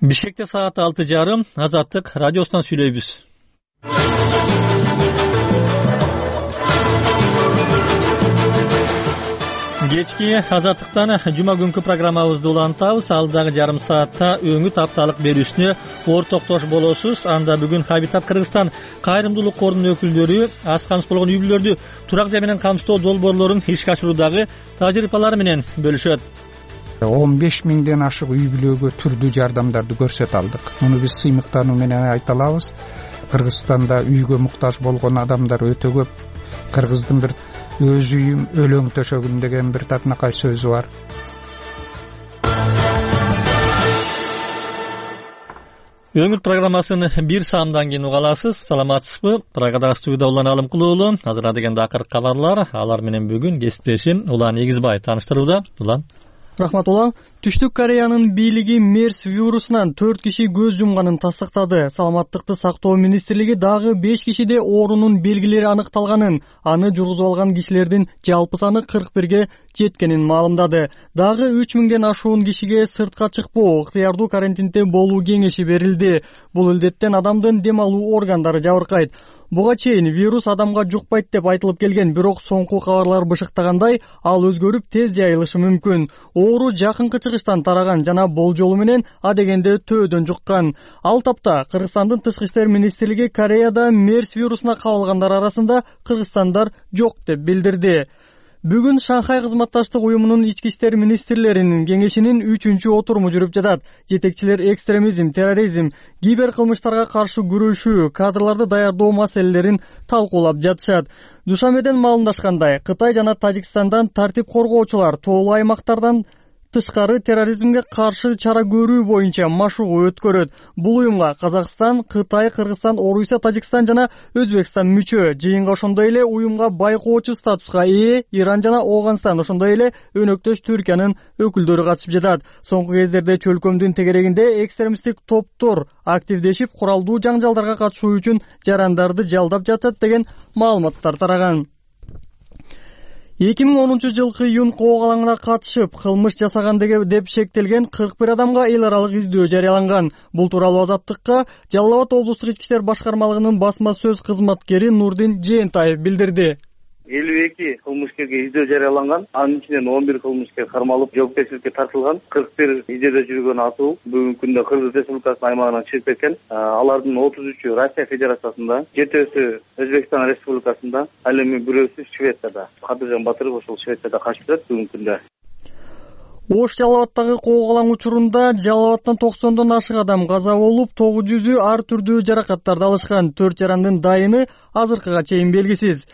Бишкекте саат 6:30 Азаттык радиосунан сүйлөйбүз. Кечки Азаттыктан жума күнкү программабызды улантабыз. Алдагы жарым саатта өңүт апталык берүүсүнө ортоктош болосуз. Анда бүгүн Хабитат Кыргызстан кайрымдуулук корунун өкүлдөрү аз камсыз болгон үй бүлөлөрдү турак жай менен камсыздоо долбоорлорун ишке ашыруудагы тажрыйбалары менен бөлүшөт. 15 миңден ашык үй бүлөгө түрдүү жардамдарды көрсөтө алдык. Муну биз сыймыктануу менен айта алабыз. Кыргызстанда үйгө муктаж болгон адамдар өтө көп. Кыргыздын бир өз үйүм өлөң төшөгүм деген бир татынакай сөзү бар. Өңүт программасын бир саамдан кийин уга аласыз. Саламатсызбы? Прагада студияда Улан Алымкулуулу. Азыр дегенде акыркы кабарлар. Алар менен бүгүн кесиптешим Улан Эгизбай тааныштырууда. Улан. Рахмат Улан. Түштүк Кореянын бийлиги мерс вирусунан 4 киши көз жумганын тастыктады. Саламаттыкты сактоо министрлиги дагы 5 кишиде оорунун белгилери аныкталганын, аны жургузуп алган кишилердин жалпы саны 41ге жеткенин маалымдады. Дагы 3000ден ашуун кишиге сыртка чыкпоо, ыктыярдуу карантинде болуу кеңеши берилди. Бул илдеттен адамдын дем алуу органдары жабыркайт. Буга чейин вирус адамга жукпайт деп айтылып келген, бирок соңку кабарлар бышыктагандай, ал өзгөрүп тез жайылышы мүмкүн. Оору жакынкы чыгыштан тараган жана болжолу менен адегенде төөдөн жуккан. Ал тапта Кыргызстандын тышкы иштер министрлиги Кореяда мерс вирусуна кабылгандар арасында кыргызстандар жок деп билдирди. Бүгүн Шанхай кызматташтык уюмунун ички иштер министрлеринин кеңешинин 3-отуруму жүрүп жатат. Жетекчилер экстремизм, терроризм, киберкылмыштарга каршы күрөшүү, кадрларды даярдоо маселелерин талкуулап жатышат. Душанбеден маалымдашкандай, Кытай жана Тажикстандан тартип коргоочулар тоолуу аймактардан тышкары терроризмге каршы чара көрүү боюнча машыгуу өткөрөт. Бул уюмга Казакстан, Кытай, Кыргызстан, Орусия, Тажикстан жана Өзбекстан мүчө. Жыйынга ошондой эле уюмга байкоочу статуска ээ Иран жана Ооганстан, ошондой эле өнөктөш Түркиянын өкүлдөрү катышып жатат. Соңку кездерде чөлкөмдүн тегерегинде экстремисттик топтор активдешип, куралдуу жаңжалдарга катышуу үчүн жарандарды жалдап жатат деген маалыматтар тараган. 2010-жылкы июнь коогалаңына катышып, кылмыш жасаган деп шектелген 41 адамга эл аралык издөө жарыяланган. Бул тууралуу Азаттыкка Жалал Абад облустук ички иштер башкармалыгынын басма сөз кызматкери Нурдин Жээнтаев билдирди. 52 кылмышкерге издөө жарыяланган, анын ичинен 11 кылмышкер кармалып, жоопкерчиликке тартылган. 41 издөөдө жүргөн атуу бүгүнкү күндө Кыргыз Республикасынын аймагынан чыгып кеткен. Алардын 33-ü Россия Федерациясында, 7-сü Өзбекстан Республикасында, ал эми бирөөсү Швецияда. Кадыржан Батыров ошол Швецияда качып жатат бүгүнкү күндө. Ош Жалал Абадтагы коогалаң учурунда Жалал Абадтан 90дон ашык адам каза болуп, 900-ü ар түрдүү жаракаттарды алышкан. 4 жарандын дайыны азыркыга чейин белгисиз.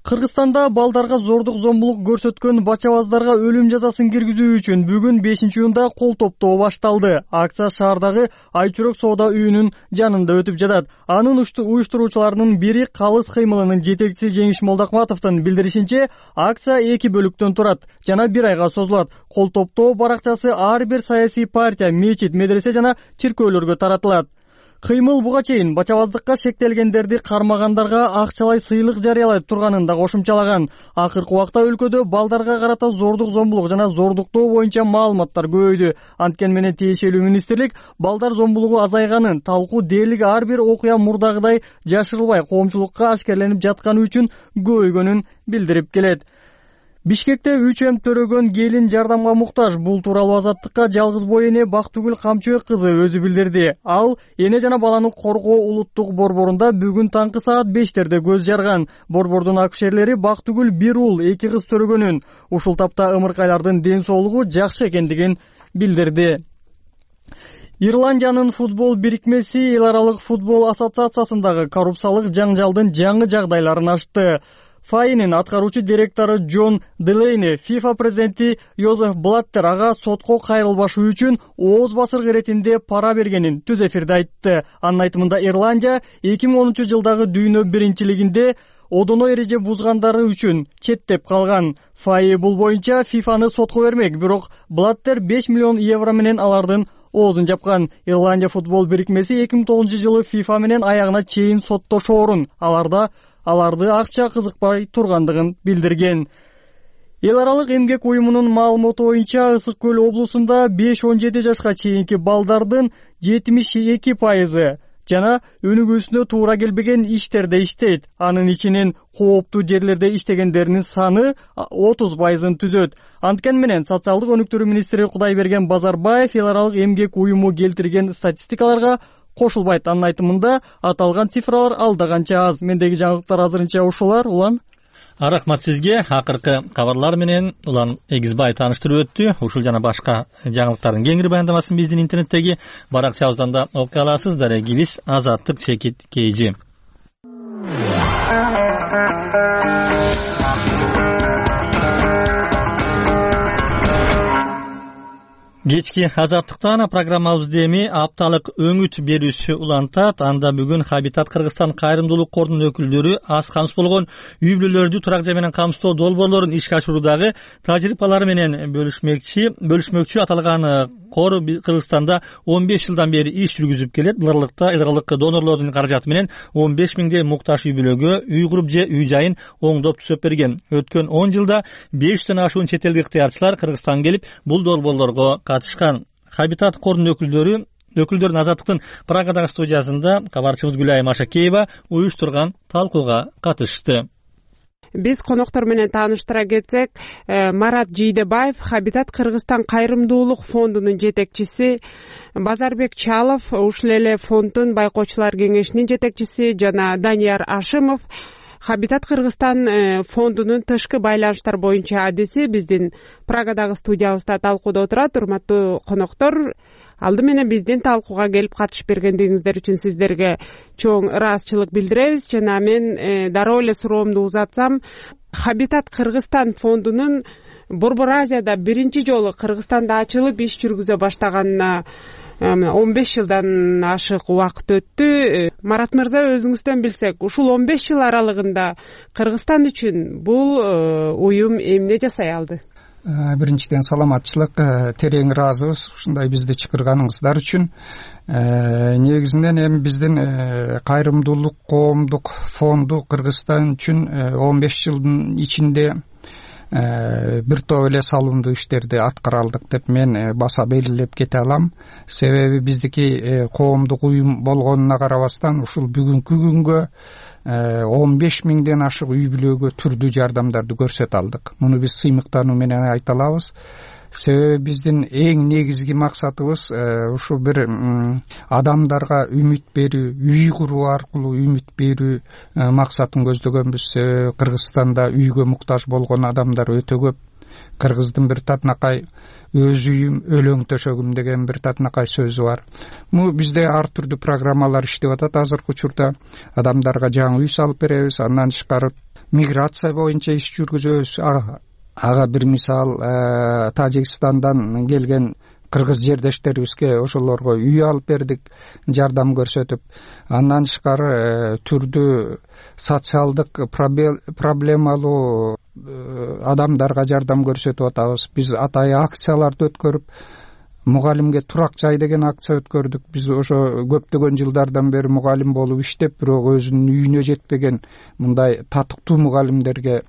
Кыргызстанда балдарга зордук зомбулук көрсөткөн бачабаздарга өлүм жазасын киргизүү үчүн бүгүн 5-июнда кол топтоо башталды. Акция шаардагы Айчүрөк соода үйүнүн жанында өтүп жатат. Анын уюштуруучуларынын бири Калыс кыймылынын жетекчиси Жеңиш Молдокматовдун билдиришинче, акция 2 бөлүктөн турат жана 1 айга созулат. Кол топтоо баракчасы ар бир саясий партия, мечит, медресе жана чиркөөлөргө таратылат. Кыймыл буга чейин бачабаздыкка шектелгендерди кармагандарга акчалай сыйлык жарыялай турганын да кошумчалаган. Акыркы убакта өлкөдө балдарга карата зордук зомбулук жана зордуктоо боюнча маалыматтар көбөйдү. Анткени менен тиешелүү министрлик балдар зомбулугу азайганын, талкуу дээрлик ар бир окуя мурдагыдай жашырылбай коомчулукка ашкерленип жатканы үчүн көбөйгөнүн билдирип келет. Бишкекте 3 төрөгөн келин жардамга муктаж. Бул тууралуу Азаттыкка жалгыз бой эне Бактыгүл Камчыбек кызы өзү билдирди. Ал эне жана баланы коргоо улуттук борборунда бүгүн таңкы саат 5-терде көз жарган. Борбордун акушерлери Бактыгүл 1 уул 2 кыз төрөгөнүн, ушул тапта ымыркайлардын ден соолугу жакшы экендигин билдирди. Ирландиянын футбол бирикмеси эл аралык футбол ассоциациясындагы коррупциялык жаңжалдын жаңы жагдайларын ачты. ФАИнин аткаруучу директору Джон Делейни FIFA президенти Йозеф Блаттер ага сотко кайрылбашы үчүн ооз басыргы иретинде пара бергенин түз эфирде айтты. Анын айтымында Ирландия 2010-жылдагы дүйнө биринчилигинде одоно эреже бузгандары үчүн четтеп калган. ФАИ бул боюнча FIFAны сотко бермек, бирок Блаттер 5 миллион евро менен алардын оозун жапкан. Ирландия футбол бирикмеси 2009-жылы FIFA менен аягына чейин соттошоорун, аларды акча кызыкпай тургандыгын билдирген. Эл аралык эмгек уюмунун маалыматы боюнча Ысык Көл облусунда 5-17 жашка чейинки балдардын 72% жана өнүгүүсүнө туура келбеген иштерде иштейт. Анын ичинен кооптуу жерлерде иштегендердин саны 30%-ын түзөт. Анткени менен социалдык өнүктүрүү министри Кудайберген Базарбаев эл аралык эмгек уюму келтирген статистикаларга кошулбайт. Анын айтымында аталган цифралар алда канча аз. Мендеги жаңылыктар азырынча ушулар. Улан Рахмат сизге. Акыркы кабарлар менен Улан Эгизбай тааныштырып өттү. Ушул жана башка жаңылыктардын кеңири баяндамасын биздин интернеттеги баракчабыздан да окуй аласыз. Дарегибиз Азаттык Чекит Кейжи. Кечки Азаттыктан программабызды эми апталык өңүт берүүсү улантат. Анда бүгүн Хабитат Кыргызстан кайрымдуулук корунун өкүлдөрү аз камсыз болгон үй бүлөлөрдү турак жай менен камсыздоо долбоорлорун ишке ашыруудагы тажрыйбалары менен бөлүшмөкчү. Аталган кор Кыргызстанда 15 жылдан бери иш жүргүзүп келет. Бул аралыкта эл аралык донорлордун каражаты менен 15 миңдей муктаж үй бүлөгө үй куруп же үй жайын оңдоп түзөп берген. Өткөн 10 жылда 500дөн ашуун чет элдик ыктыярчылар Кыргызстанга келип бул долбоорлорго катышкан. Хабитат корунун өкүлдөрүн Азаттыктын Прагадагы студиясында кабарчыбыз Гүлайым Машакеева уюштурган талкууга катышты. Биз коноктор менен тааныштыра кетсек, Марат Жийдебаев, Хабитат Кыргызстан кайрымдуулук фондунун жетекчиси, Базарбек Чалов, ушул эле фонддун байкоочулар кеңешинин жетекчиси жана Данияр Ашимов, Хабитат Кыргызстан фондунун тышкы байланыштар боюнча адиси биздин Прагадагы студиябызда талкууда отурат. Урматтуу коноктор, алды менен биздин талкууга келип катышып бергендигиңиздер үчүн сиздерге чоң ыраазычылык билдиребиз. Жана мен дароо эле суроомду узатсам, Хабитат Кыргызстан фондунун Борбор Азияда биринчи жолу Кыргызстанда ачылып иш жүргүзө баштаганына 15 жылдан ашык убакыт өттү. Марат мырза, өзүңүздөн билсек, ушул 15 жыл аралыгында Кыргызстан үчүн бул уюм эмне жасай алды? Биринчиден саламатчылык, терең ыраазыбыз ушундай бизди чакырганыңыздар үчүн. Негизинен эми биздин кайрымдуулук коомдук фонду Кыргызстан үчүн 15 жылдын ичинде бир топ эле салымдуу иштерди аткара алдык деп мен баса белгилеп кете алам. Себеби биздики коомдук уюм болгонуна карабастан ушул бүгүнкү күнгө 15 миңден ашык үй бүлөгө түрдүү жардамдарды көрсөтө алдык. Муну биз сыймыктануу менен айта алабыз. Себеби биздин эң негизги максатыбыз ушу бир адамдарга үмүт берүү, үй куруу аркылуу үмүт берүү максатын көздөгөнбүз. Кыргызстанда үйгө муктаж болгон адамдар өтө көп. Кыргыздын бир татынакай өз үйүм, өлөң төшөгүм деген бир татынакай сөзү бар. Бул бизде ар түрдүү программалар иштеп атат. Азыркы учурда адамдарга жаңы үй салып беребиз. Андан тышкары миграция боюнча иш жүргүзөбүз. Ага бир мисал Тажикстандан келген кыргыз жердештерибизге ошолорго үй алып бердик, жардам көрсөтүп. Андан тышкары түрдүү социалдык проблемалуу адамдарга жардам көрсөтүп атабыз. Биз атайы акцияларды өткөрүп, мугалимге турак жай деген акция өткөрдүк. Биз ошо көптөгөн жылдардан бери мугалим болуп иштеп, бирок өзүнүн үйүнө жетпеген мындай татыктуу мугалимдерге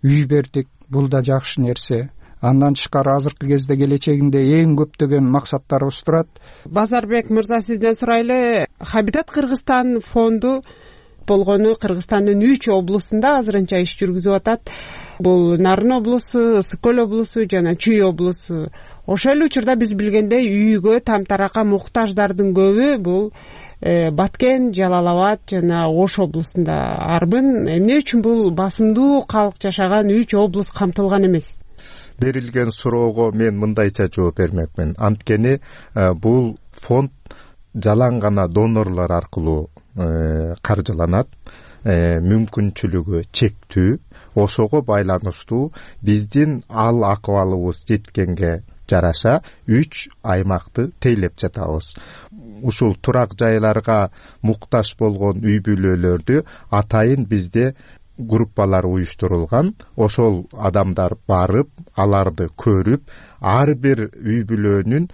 үй бердик. Бул да жакшы нерсе. Андан тышкары азыркы кезде келечегинде эң көптөгөн максаттарыбыз турат. Базарбек мырза, сизден сурайлы. Хабитат Кыргызстан фонду болгону Кыргызстандын 3 облусунда азырынча иш жүргүзүп атат. Бул Нарын облусу, Ысык Көл облусу жана Чүй облусу. Ошол эле учурда биз билгендей үйгө тамтаракка муктаждардын көбү бул Баткен, Жалал Абад жана Ош облусунда. Арбын эмне үчүн бул басымдуу калк жашаган 3 облус камтылган эмес? Берилген суроого мен мындайча жооп бермекмин. Анткени бул фонд жалаң гана донорлор аркылуу каржыланат. Мүмкүнчүлүгү чектүү. Ошого байланыштуу биздин ал акыбалыбыз жеткенге жараша 3 аймакты тейлеп жатабыз. Ушул турак жайларга муктаж болгон үй бүлөлөрдү атайын бизде группалар уюштурулган. Ошол адамдар барып, аларды көрүп, ар бир үй бүлөнүн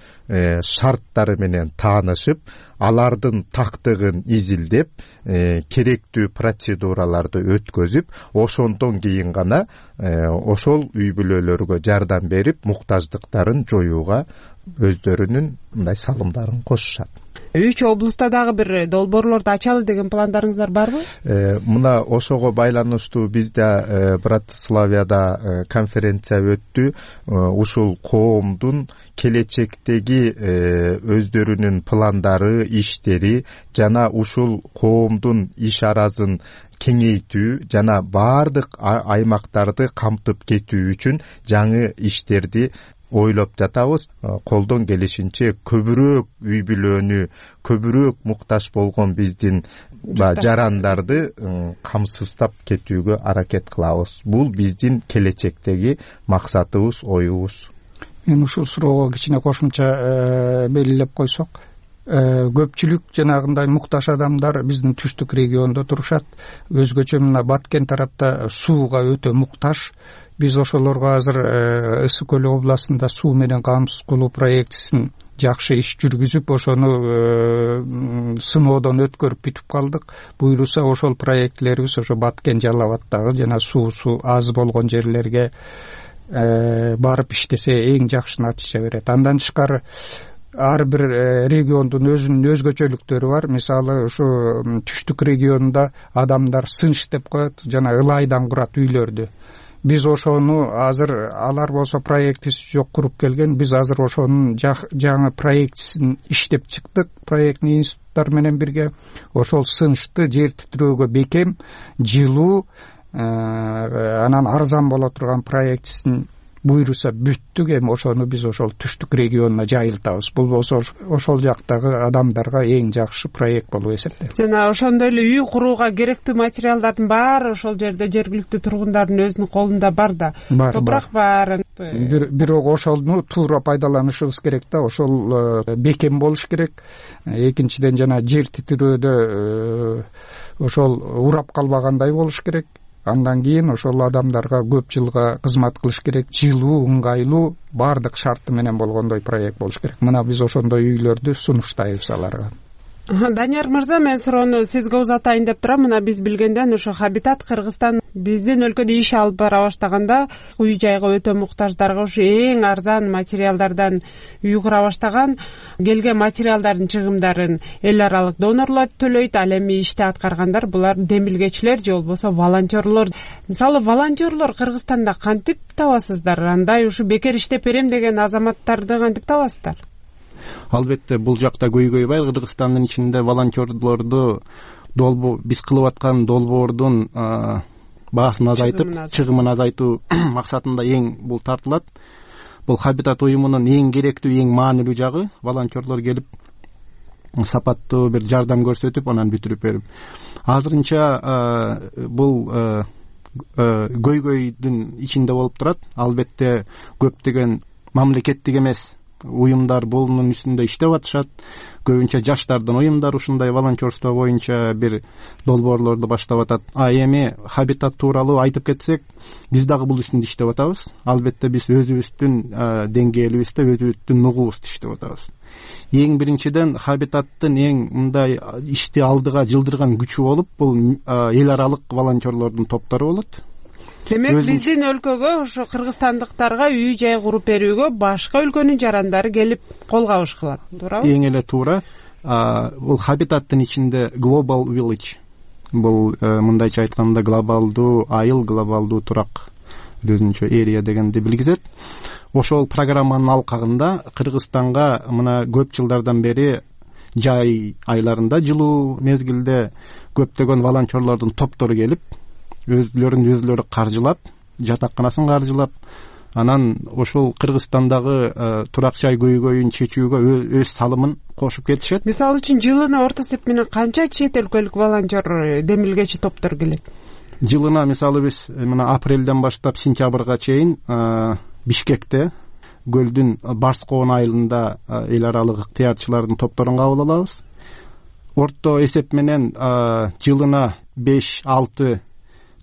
шарттары менен таанышып, алардын тактыгын изилдеп, керектүү процедураларды өткөзүп, ошондон кийин гана ошол үй бүлөлөргө жардам берип, муктаждыктарын жоюуга өздөрүнүн мындай салымдарын кошушат. 3 облустта дагы бир долбоорлорду ачалы деген пландарыңыздар барбы? Мына ошого байланыштуу бизде Братиславияда конференция өттү. Ушул коомдун келечектеги өздөрүнүн пландары, иштери жана ушул коомдун иш аразын кеңейтүү жана баардык аймактарды камтып кетүү үчүн жаңы иштерди ойлоп жатабыз. Колдон келишинче көбүрөөк үй бүлөнү, көбүрөөк муктаж болгон биздин жарандарды камсыздап кетүүгө аракет кылабыз. Бул биздин келечектеги максатыбыз, оюбуз. Мен ушул суроого кичине кошумча белгилеп койсок, көпчүлүк жанагындай муктаж адамдар биздин түштүк региондо турушат. Өзгөчө мына Баткен тарапта сууга өтө муктаж. Биз ошолорго азыр Ысык көл областында суу менен камсыз кылуу проектисин жакшы иш жүргүзүп, ошону сыноодон өткөрүп бүтүп калдык. Буюрса ошол проектлерибиз ошо Баткен, Жалал абаддагы жана суусу аз болгон жерлерге барып иштесе эң жакшы натыйжа берет. Андан тышкары ар бир региондун өзүнүн өзгөчөлүктөрү бар. Мисалы ушу түштүк регионунда адамдар сынч деп коет, жана ылайдан курат үйлөрдү. Биз ошону азыр, алар болсо проектиси жок куруп келген, биз азыр ошонун жаңы проектисин иштеп чыктык, проектный институттар менен бирге. Ошол сынчты жер титирөөгө бекем, жылуу, анан арзан боло турган проектисин буйруса бүттүк. Эми ошону биз ошол түштүк регионуна жайылтабыз. Бул болсо ошол жактагы адамдарга эң жакшы проект болуп эсептелет. Жана ошондой эле үй курууга керектүү материалдардын баары ошол жерде жергиликтүү тургундардын өзүнүн колунда бар да. Топурак бар. Бирок ошону туура пайдаланышыбыз керек да. Ошол бекем болуш керек. Экинчиден жана жер титирөөдө ошол урап калбагандай болуш керек. Андан кийин ошол адамдарга көп жылга кызмат кылыш керек. Жылуу, ыңгайлуу, баардык шарты менен болгондой проект болуш керек. Мына биз ошондой үйлөрдү сунуштайбыз аларга. Данияр мырза, мен суроону сизге узатайын деп турам. Мына биз билгенден ушу Хабитат Кыргызстан биздин өлкөдө иш алып бара баштаганда үй жайга өтө муктаждарга ушу эң арзан материалдардан үй кура баштаган. Келген материалдардын чыгымдарын эл аралык донорлор төлөйт. Ал эми ишти аткаргандар булар демилгечилер же болбосо волонтерлор. Мисалы волонтерлор Кыргызстанда кантип табасыздар? Андай ушу бекер иштеп берем деген азаматтарды кантип табасыздар? Албетте бул жакта көйгөйбай Кыргызстандын ичинде волонтерлорду биз кылып аткан долбоордун баасын азайтып, чыгымын азайтуу максатында эң бул тартылат. Бул Хабитат уюмунун эң керектүү, эң маанилүү жагы волонтерлор келип сапаттуу бир жардам көрсөтүп, анан бүтүрүп берип. Азырынча бул көйгөйдүн ичинде болуп турат. Албетте көптөгөн мамлекеттик эмес уюмдар бунун үстүндө иштеп атышат. Көбүнчө жаштардын уюмдары ушундай волонтерство боюнча бир долбоорлорду баштап атат. Эми Хабитат тууралуу айтып кетсек, биз дагы бул үстүндө иштеп атабыз. Албетте биз өзүбүздүн деңгээлибизде, өзүбүздүн нугубузду иштеп атабыз. Эң биринчиден Хабитаттын эң мындай ишти алдыга жылдырган күчү болуп, бул эл аралык волонтерлордун топтору болот. Демек биздин өлкөгө, ошо кыргызстандыктарга үй жай куруп берүүгө башка өлкөнүн жарандары келип кол кабыш кылат, туурабы? Эң эле туура. Бул Хабитаттын ичинде Global Village. Бул мындайча айтканда глобалдуу айыл, глобалдуу турак, өзүнчө эрия дегенди билгизет. Ошол программанын алкагында Кыргызстанга мына көп жылдардан бери жай айларында, жылуу мезгилде көптөгөн волонтерлордун топтору келип, өзлөрү каржылап, жатаканасын каржылап, анан ошол Кыргызстандагы турак жай көйгөйүн чечүүгө өз салымын кошуп кетишет. Мисалы үчүн жылына орто эсеп менен канча чет өлкөлүк волонтер демилгечи топтор келет? Жылына мисалы биз мына апрелден баштап сентябрга чейин Бишкекте көлдүн Барскоон айылында эл аралык ыктыярчылардын топторун кабыл алабыз. Орто эсеп менен жылына 5-6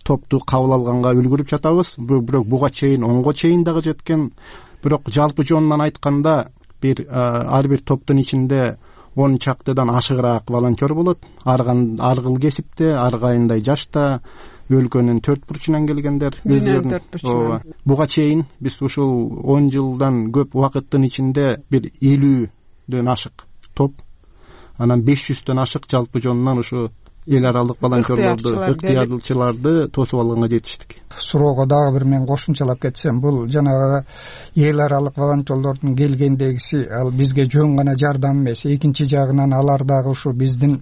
топту кабыл алганга үлгүрүп жатабыз. Бирок буга чейин 10го чейин дагы жеткен. Бирок жалпы жонунан айтканда ар бир топтун ичинде 10 чактыдан ашыгыраак волонтер болот. Ар кыл кесипте, ар кайындай жашта, өлкөнүн 4 бурчунан келгендер. Буга чейин биз ушул 10 жылдан көп убакыттын ичинде бир 50дөн ашык топ, анан 500дөн ашык жалпы жонунан ушу эл аралык волонтерлорду, ыктыярчыларды тосуп алганга жетиштик. Суроого дагы бир мен кошумчалап кетсем, бул жанагы эл аралык волонтерлордун келгендегиси ал бизге жөн гана жардам эмес, экинчи жагынан алар дагы ушу биздин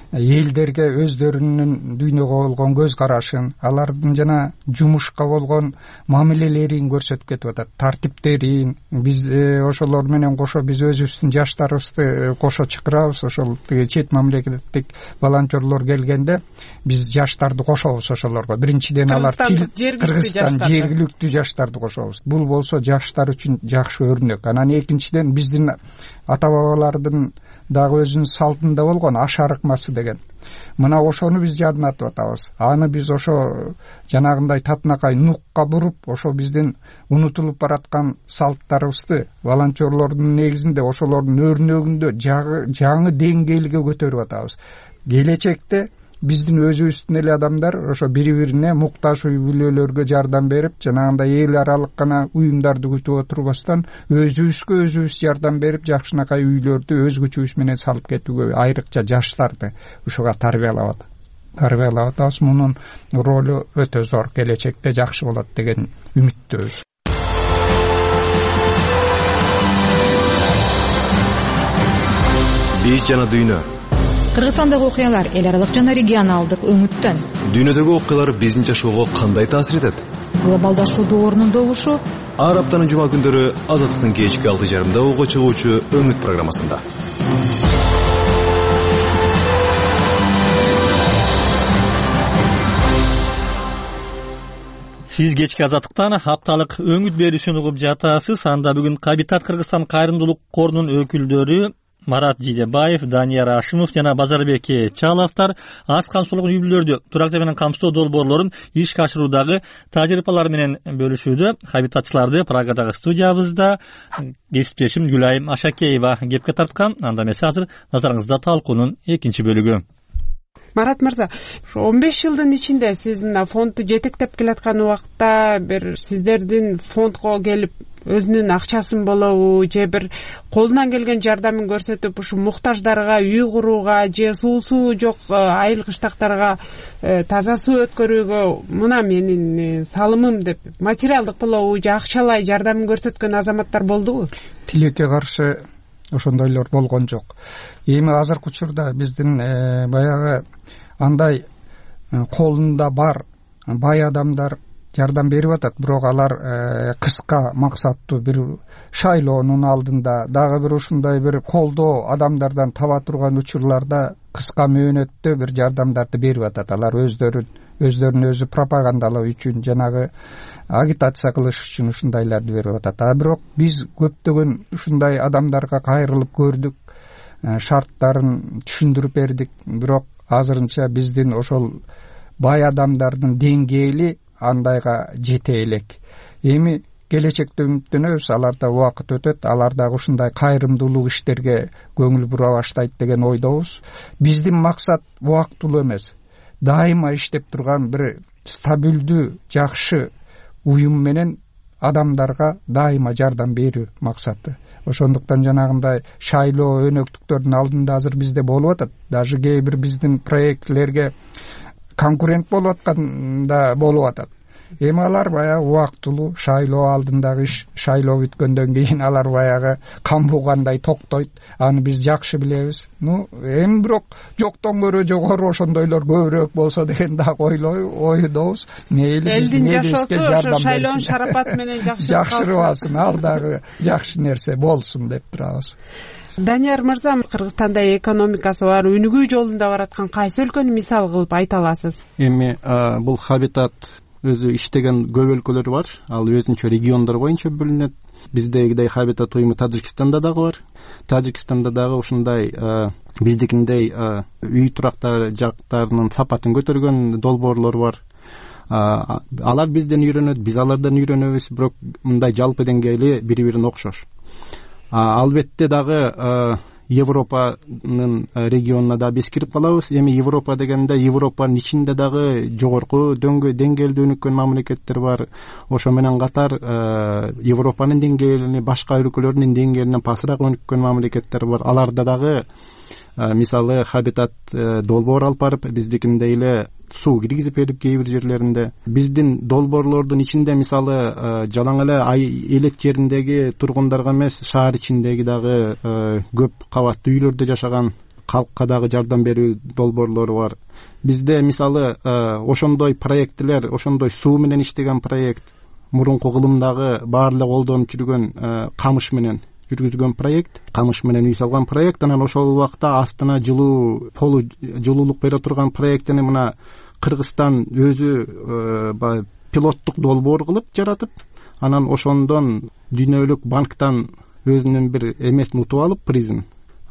элдерге өздөрүнүн дүйнөгө болгон көз карашын, алардын жана жумушка болгон мамилелерин көрсөтүп кетип атат, тартиптерин. Биз ошолор менен кошо биз өзүбүздүн жаштарыбызды кошо чакырабыз. Ошол чет мамлекеттик волонтерлор келгенде биз жаштарды кошобуз ошолорго. Биринчиден алар Кыргызстан жергиликтүү жаштарды кошобуз. Бул болсо жаштар үчүн жакшы өрнөк. Анан экинчиден биздин ата бабалардын дагы өзүнүн салтында болгон аш арыкмасы деген. Мына ошону биз жадынатып атабыз. Аны биз ошо жанагындай татынакай нукка буруп, ошо биздин унутулуп бараткан салттарыбызды волонтерлордун негизинде ошолордун өрнөгүндө жаңы деңгээлге көтөрүп атабыз. Келечекте биздин өзүбүздүн эле адамдар ошо бири-бирине муктаж үй бүлөлөргө жардам берип, жанагындай эл аралык гана уюмдарды күтүп отурбастан өзүбүзгө өзүбүз жардам берип, жакшынакай үйлөрдү өз күчүбүз менен салып кетүүгө, айрыкча жаштарды ушуга тарбиялап атабыз. Мунун ролу өтө зор, келечекте жакшы болот деген үмүттөбүз. Биз жана дүйнө. Кыргызстандагы окуялар эл аралык жана регионалдык өңүттөн. Дүйнөдөгү окуялар биздин жашоого кандай таасир этет? Глобалдашуу доорунун добушу ар аптанын жума күндөрү Азаттыктын кечки 6:30 угуга чыгуучу Өңүт программасында. Сиз кечки Азаттыктан апталык Өңүт берүүсүн угуп жатасыз. Анда бүгүн Хабитат Кыргызстан кайрымдуулук корунун өкүлдөрү Марат Жидебаев, Данияр Ашимов жана Базарбек Чаловдор аз камсыздуулук үй бүлөлөрдү турактуу менен камсыздоо долбоорлорун ишке ашыруудагы тажрыйбалары менен бөлүшүүдө. Хабитатчыларды Прагадагы студиябызда кесиптешим Гүлайым Ашакеева кепке тарткан. Анда эмесе азыр назарыңызда талкуунун экинчи бөлүгү. Марат мырза, 15 жылдын ичинде сиз мына фондду жетектеп келаткан убакта бир сиздердин фондго келип өзүнүн акчасын болобу же бир колунан келген жардамын көрсөтүп ушу муктаждарга үй курууга же суусу жок айыл кыштактарга таза суу өткөрүүгө мына менин салымым деп материалдык болобу же акчалай жардамын көрсөткөн азаматтар болдубу? Тилекке каршы ошондойлор болгон жок. Эми азыркы учурда биздин баягы андай колунда бар бай адамдар жардам берип атат, бирок алар кыска максаттуу бир шайлоонун алдында дагы бир ушундай бир колдоо адамдардан таба турган учурларда кыска мөөнөттө бир жардамдарды берип атат. Алар өздөрүн өзү пропагандалоо үчүн, жанагы агитация кылыш үчүн ушундайларды берип атат. Бирок биз көптөгөн ушундай адамдарга кайрылып көрдүк, шарттарын түшүндүрүп бердик, бирок азырынча биздин ошол бай адамдардын деңгээли андайга жете элек. Эми келечекте үмүттөнөбүз, аларда убакыт өтөт, алар дагы ушундай кайрымдуулук иштерге көңүл бура баштайт деген ойдобуз. Биздин максат убактылуу эмес, дайыма иштеп турган бир стабилдүү, жакшы уюм менен адамдарга дайыма жардам берүү максаты. Ошондуктан жанагындай шайлоо өнөктүктөрдүн алдында азыр бизде болуп атат. Даже кээ бир биздин проектлерге конкурент болуп атканда болуп атат. Эми алар баягы убактылуу шайлоо алдындагы иш, шайлоо бүткөндөн кийин алар баягы кан буугандай токтойт. Аны биз жакшы билебиз. Эми бирок жоктон көрө жогору ошондойлор көбүрөөк болсо деген дагы ойдобуз. Мейли элдин жашоосу шайлоонун шарапаты менен жакшырыбасын, ал дагы жакшы нерсе болсун деп турабыз. Данияр мырза, Кыргызстанда экономикасы бар, өнүгүү жолунда бараткан кайсы өлкөнү мисал кылып айта аласыз? Эми бул Хабитат өзү иштеген көп өлкөлөр бар. Ал өзүнчө региондор боюнча бөлүнөт. Биздегидей Хабитат уюму Тажикстанда дагы бар. Тажикстанда дагы ушундай биздикиндей үй турактар жактарынын сапатын көтөргөн долбоорлор бар. алар бизден үйрөнөт, биз алардан үйрөнөбүз, бирок мындай жалпы деңгейли бири бирине окшош. Албетте дагы Европанын регионуна да биз кирип калабыз. Эми Европа дегенде Европанын ичинде дагы жогорку деңгээлде өнүккөн мамлекеттер бар. Ошо менен катар Европанын деңгээлине, башка өлкөлөрдүн деңгээлинен пасыраак өнүккөн мамлекеттер бар. Аларда дагы мисалы хабитат долбоор алып барып, биздикиндей эле суу киргизип берип кээ бир жерлеринде. Биздин долбоорлордун ичинде мисалы жалаң эле элек жериндеги тургундарга эмес, шаар ичиндеги дагы көп кабаттуу үйлөрдө жашаган калкка дагы жардам берүү долбоорлору бар. Бизде мисалы ошондой проекттер, ошондой суу менен иштеген проект, мурунку кылымдагы баардык колдонуп жүргөн камыш менен жүргүзгөн проект, камыш менен үй салган проект, анан ошол убакта астына жылуу полу жылуулук бере турган проектини мына Кыргызстан өзү пилоттук долбоор кылып жаратып, анан ошондон дүйнөлүк банктан өзүнүн бир эмесин утуп алып, призин.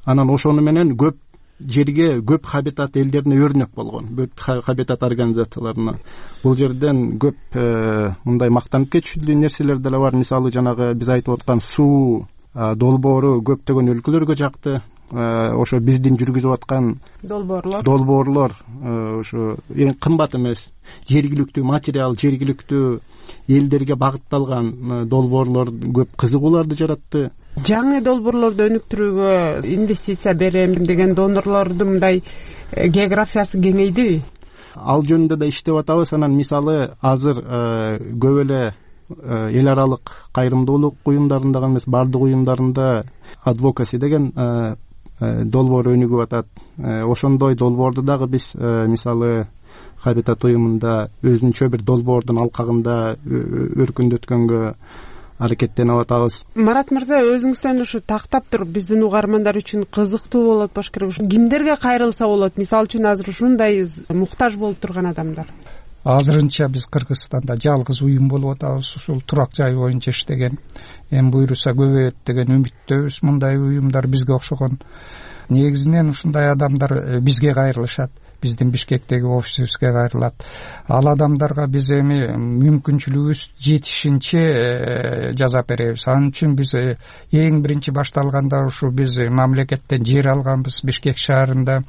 Анан ошону менен көп жерге, көп хабитат элдерине өрнөк болгон, көп хабитат организацияларына. Бул жерден көп мындай мактанып кетиштүү нерселер деле бар. Мисалы жанагы биз айтып аткан суу долбоору көптөгөн өлкөлөргө жакты. Ошо биздин жүргүзүп аткан долбоорлор ошо эң кымбат эмес, жергиликтүү материал, жергиликтүү элдерге багытталган долбоорлор көп кызыгууларды жаратты. Жаңы долбоорлорду өнүктүрүүгө инвестиция берем деген донорлордун мындай географиясы кеңейдиби? Ал жөнүндө да иштеп атабыз. Анан мисалы азыр көп эле эл аралык кайрымдуулук уюмдарында эмес, бардык уюмдарында advocacy деген долбоор өнүгүп атат. Ошондой долбоорду дагы биз мисалы Хабитат уюмунда өзүнчө бир долбоордун алкагында өркүндөткөнгө аракеттенип атабыз. Марат мырза, өзүңүздөн ушу тактап туруп биздин угармандар үчүн кызыктуу болот болуш керек. Кимдерге кайрылса болот? Мисалы үчүн азыр ушундай муктаж болуп турган адамдар. Азырынча биз Кыргызстанда жалгыз уюм болуп атабыз, ушул турак жай боюнча иштеген. Эми буйруса көбөйөт деген үмүттөбүз. Мындай уюмдар бизге окшогон. Негизинен ушундай адамдар бизге кайрылышат. Биздин Бишкектеги офисибизге кайрылат. Ал адамдарга биз эми мүмкүнчүлүгүбүз жетишинче жазап беребиз. Анын үчүн биз эң биринчи башталганда ушу биз мамлекеттен жер алганбыз Бишкек шаарында.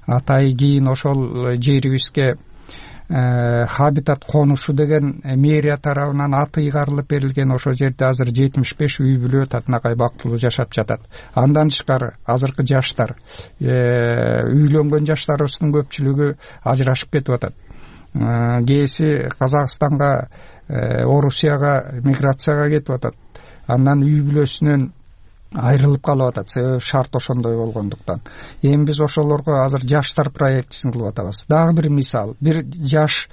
Атай кийин ошол жерибизге Хабитат конушу деген мэрия тарабынан аты ыйгарылып берилген. Ошол жерде азыр 75 үй бүлө татынакай бактылуу жашап жатат. Андан тышкары азыркы жаштар, үйлөнгөн жаштарыбыздын көпчүлүгү ажырашып кетип атат. Кээси Казакстанга, Орусияга миграцияга кетип атат. Андан үй бүлөсүнөн айрылып калып атат, себеби шарт ошондой болгондуктан. Эми биз ошолорго азыр жаштар проектисин кылып атабыз. Дагы бир мисал, бир жаш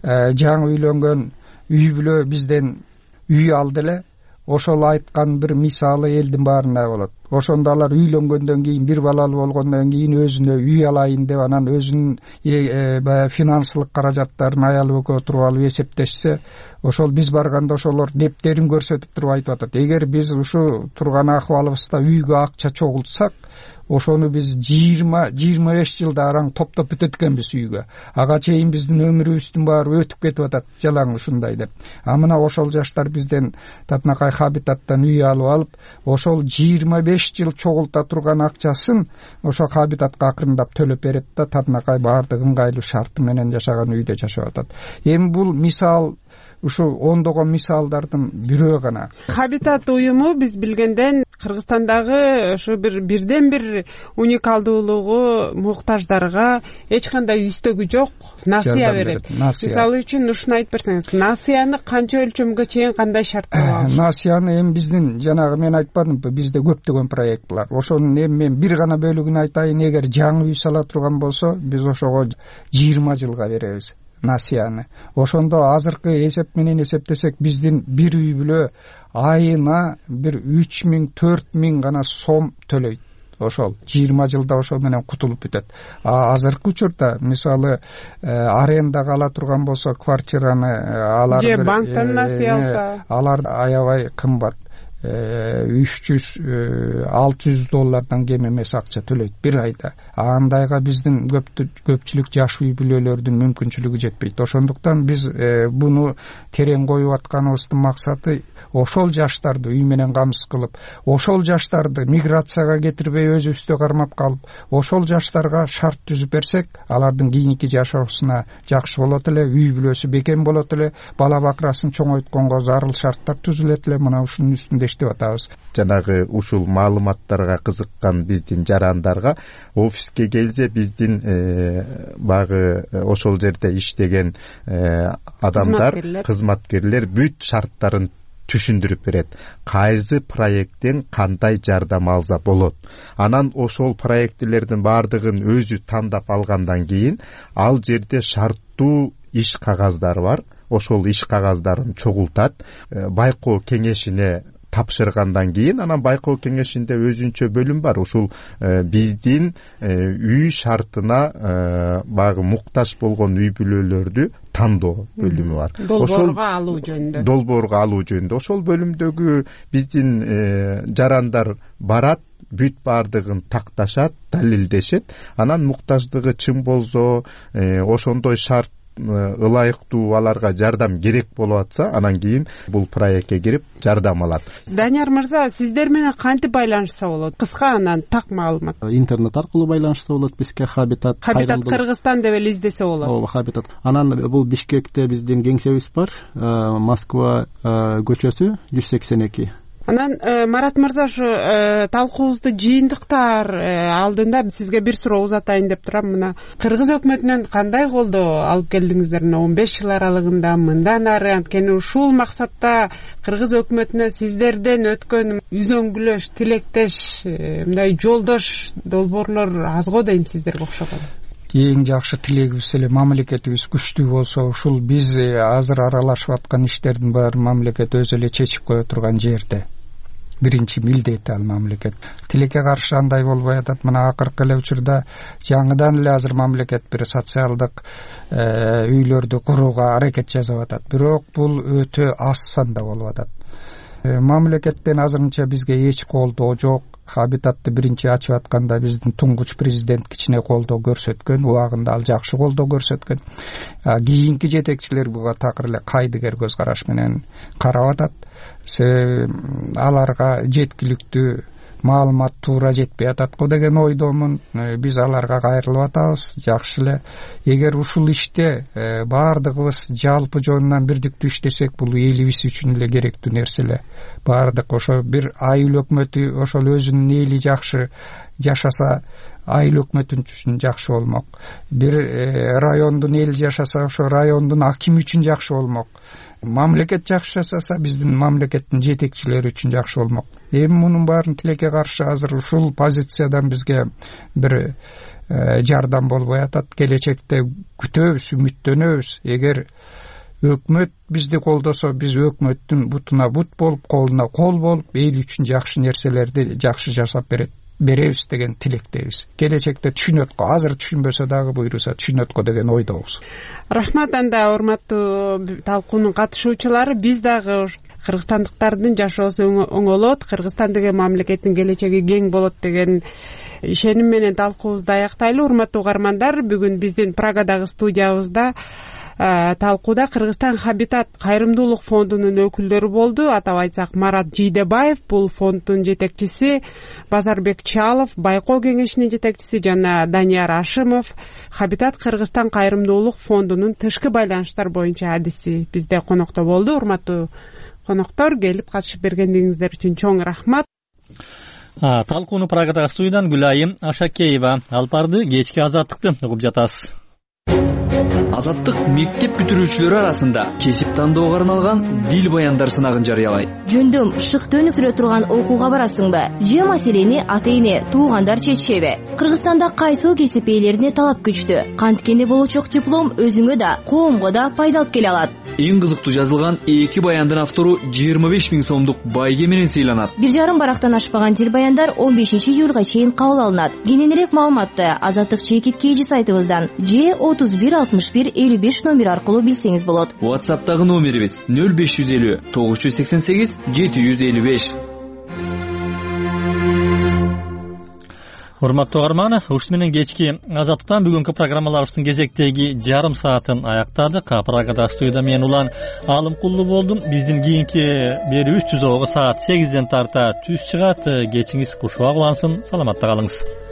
жаңы үйлөнгөн үй бүлө бизден үй алды эле. Ошол айткан бир мисалы элдин баарында болот. Ошондо алар үйлөнгөндөн кийин, бир балалуу болгондон кийин өзүнө үй алайын деп, анан өзүнүн баягы финансылык каражаттарын аялы экөө туруп алып эсептешсе, ошол биз барганда ошолор дептерин көрсөтүп туруп айтып атат. Эгер биз ушу турган акыбалыбызда үйгө акча чогултсак, ошону биз 20-25 жылда араң топтоп бүтөт экенбиз үйгө. Ага чейин биздин өмүрүбүздүн баары өтүп кетип атат жалаң ушундай деп. Мына ошол жаштар бизден татынакай Хабитаттан үй алып алып, ошол 25 жыл чогулта турган акчасын ошо Хабитатка акырындап төлөп берет да, татынакай баардык ыңгайлуу шарты менен жашаган үйдө жашап атат. Эми бул мисал ушу ондогон мисалдардын бирөө гана. Хабитат уюму биз билгенден Кыргызстандагы ошо бирден бир уникалдуулугу муктаждарга эч кандай үстөгү жок, насыя берет. Мисалы үчүн ушуну айтып берсеңиз, насыяны канча өлчөмгө чейин кандай шарттар бар? Насыяны эми биздин жанагы мен айтпадымбы, бизде көптөгөн проект бар. Ошонун эми мен бир гана бөлүгүн айтайын. Эгер жаңы үй сала турган болсо, биз ошого 20 жылга беребиз насыяны. Ошондо азыркы эсеп менен эсептесек, биздин бир үй бүлө айына бир 3000-4000 гана сом төлөйт. Ошол 20 жылда ошол менен кутулуп бүтөт. Азыркы учурда мисалы арендага ала турган болсо квартираны, алар же банктан насыя алса, алар аябай кымбат. $300-600 кем эмес акча төлөйт бир айда. Андайга биздин көпчүлүк жаш үй бүлөлөрдүн мүмкүнчүлүгү жетпейт. Ошондуктан биз буну терең коюп атканыбыздын максаты ошол жаштарды үй менен камсыз кылып, ошол жаштарды миграцияга кетирбей өзүбүздө кармап калып, ошол жаштарга шарт түзүп берсек, алардын кийинки жашоосуна жакшы болот эле, үй бүлөсү бекем болот эле, бала бакырасын чоңойтконго зарыл шарттар түзүлөт эле. Мына ушунун үстүндө иштеп атабыз. Жанагы ушул маалыматтарга кызыккан биздин жарандарга офиске келсе, биздин багы ошол жерде иштеген адамдар, кызматкерлер бүт шарттарын түшүндүрүп берет. Кайсы проекттен кандай жардам алса болот. Анан ошол проектлердин баардыгын өзү тандап алгандан кийин ал жерде шарттуу иш кагаздары бар. Ошол иш кагаздарын чогултат, байкоо кеңешине тапшыргандан кийин анан байкоо кеңешинде өзүнчө бөлүм бар. Ушул биздин үй шартына багы муктаж болгон үй бүлөлөрдү тандоо бөлүмү бар. Долбоорго алуу жөнүндө. Ошол бөлүмдөгү биздин жарандар барат, бүт баардыгын такташат, далилдешет. Анан муктаждыгы чын болсо, ошондой шарт ылайыктуу аларга жардам керек болуп атса, анан кийин бул проектке кирип жардам алат. Данияр мырза, сиздер менен кантип байланышса болот? Кыска анан так маалымат. Интернет аркылуу байланышса болот бизге. Хабитат Кыргызстан деп эле издесе болот. Ооба, Хабитат. Анан бул Бишкекте биздин кеңсебиз бар, Москва көчөсү 182. Анан Марат мырза, ушу талкуубузду жыйынтыктар алдында сизге бир суроо узатайын деп турам. Мына кыргыз өкмөтүнөн кандай колдоо алып келдиңиздер 15 жыл аралыгында мындан ары? Анткени ушул максатта кыргыз өкмөтүнө сиздерден өткөн үзөңгүлөш, тилектеш, мындай жолдош долбоорлор аз го дейм сиздерге окшогон. Эң жакшы тилегибиз эле мамлекетибиз күчтүү болсо, ушул биз азыр аралашып аткан иштердин баарын мамлекет өзү эле чечип кое турган жерде. Биринчи милдети ал мамлекет. Тилекке каршы андай болбой атат. Мына акыркы эле учурда жаңыдан эле азыр мамлекет бир социалдык үйлөрдү курууга аракет жасап атат. Бирок бул өтө аз санда болуп атат. Мамлекеттен азырынча бизге эч колдоо жок. Хабитатты биринчи ачып атканда биздин туңгуч президент кичине колдоо көрсөткөн, убагында ал жакшы колдоо көрсөткөн. Кийинки жетекчилер буга такыр эле кайдыгер көз караш менен карап атат. Аларга жеткиликтүү маалымат туура жетпей атат го деген ойдомун. Биз аларга кайрылып атабыз. Жакшы эле. Эгер ушул иште баардыгыбыз жалпы жонунан бирдиктүү иштесек, бул элибиз үчүн эле керектүү нерсе эле. Баардык ошо бир айыл өкмөтү ошол өзүнүн эли жакшы жашаса, айыл өкмөтүн үчүн жакшы болмок. Бир райондун эли жашаса, ошо райондун акими үчүн жакшы болмок. Мамлекет жакшы жасаса, биздин мамлекеттин жетекчилери үчүн жакшы болмок. Эми мунун баарын тилекке каршы азыр ушул позициядан бизге бир жардам болбой атат. Келечекте күтөбүз, үмүттөнөбүз. Эгер өкмөт бизди колдосо, биз өкмөттүн бутуна бут болуп, колуна кол болуп, эл үчүн жакшы нерселерди жакшы жасап беребиз деген тилектебиз. Келечекте түшүнөт го, азыр түшүнбөсө дагы буйруса түшүнөт го деген ойдобуз. Рахмат. Анда урматтуу талкуунун катышуучулары, биз дагы кыргызстандыктардын жашоосу оңолот, Кыргызстан деген мамлекеттин келечеги кең болот деген ишеним менен талкуубузду аяктайлы. Урматтуу угармандар, бүгүн биздин Прагадагы студиябызда талкууда Кыргызстан Хабитат кайрымдуулук фондунун өкүлдөрү болду. Атап айтсак, Марат Жийдебаев, бул фонддун жетекчиси, Базарбек Чалов, байкоо кеңешинин жетекчиси, жана Данияр Ашимов, Хабитат Кыргызстан кайрымдуулук фондунун тышкы байланыштар боюнча адиси бизде конокто болду. Урматтуу коноктор, келип катышып бергендигиңиздер үчүн чоң рахмат. Талкууну Прагадагы студиядан Гүлайым Ашакеева алып барды. Кечки азаттыкты угуп жатасыз. Азаттык мектеп бүтүрүүчүлөрү арасында кесип тандоого арналган дил баяндар сынагын жарыялайт. Жөндөм шыкты өнүктүрө турган окууга барасыңбы? Же маселени ата-эне, туугандар чечишеби? Кыргызстанда кайсыл кесип ээлерине талап күчтүү? Канткени болочок диплом өзүңө да, коомго да пайда алып келе алат. Эң кызыктуу жазылган 2 баяндын автору 25 000 сомдук байге менен сыйланат. 1,5 барактан ашпаган дил баяндар 15 июлга чейин кабыл алынат. Кененирээк маалыматты Азаттык чекиткейжи сайтыбыздан же 31 61 55 номер аркылуу билсеңиз болот. WhatsApp'тагы номерибиз 0550 988 755. урматтуу угарман, ушуну менен кечки Азаттыктан бүгүнкү программаларыбыздын кезектеги жарым саатын аяктадык. Прагада студияда мен Улан Алымкулуу болдум. Биздин кийинки берүүбүз түзөгө саат 8ден тарта түз чыгат. Кечиңиз кушубак улансын. Саламатта калыңыз.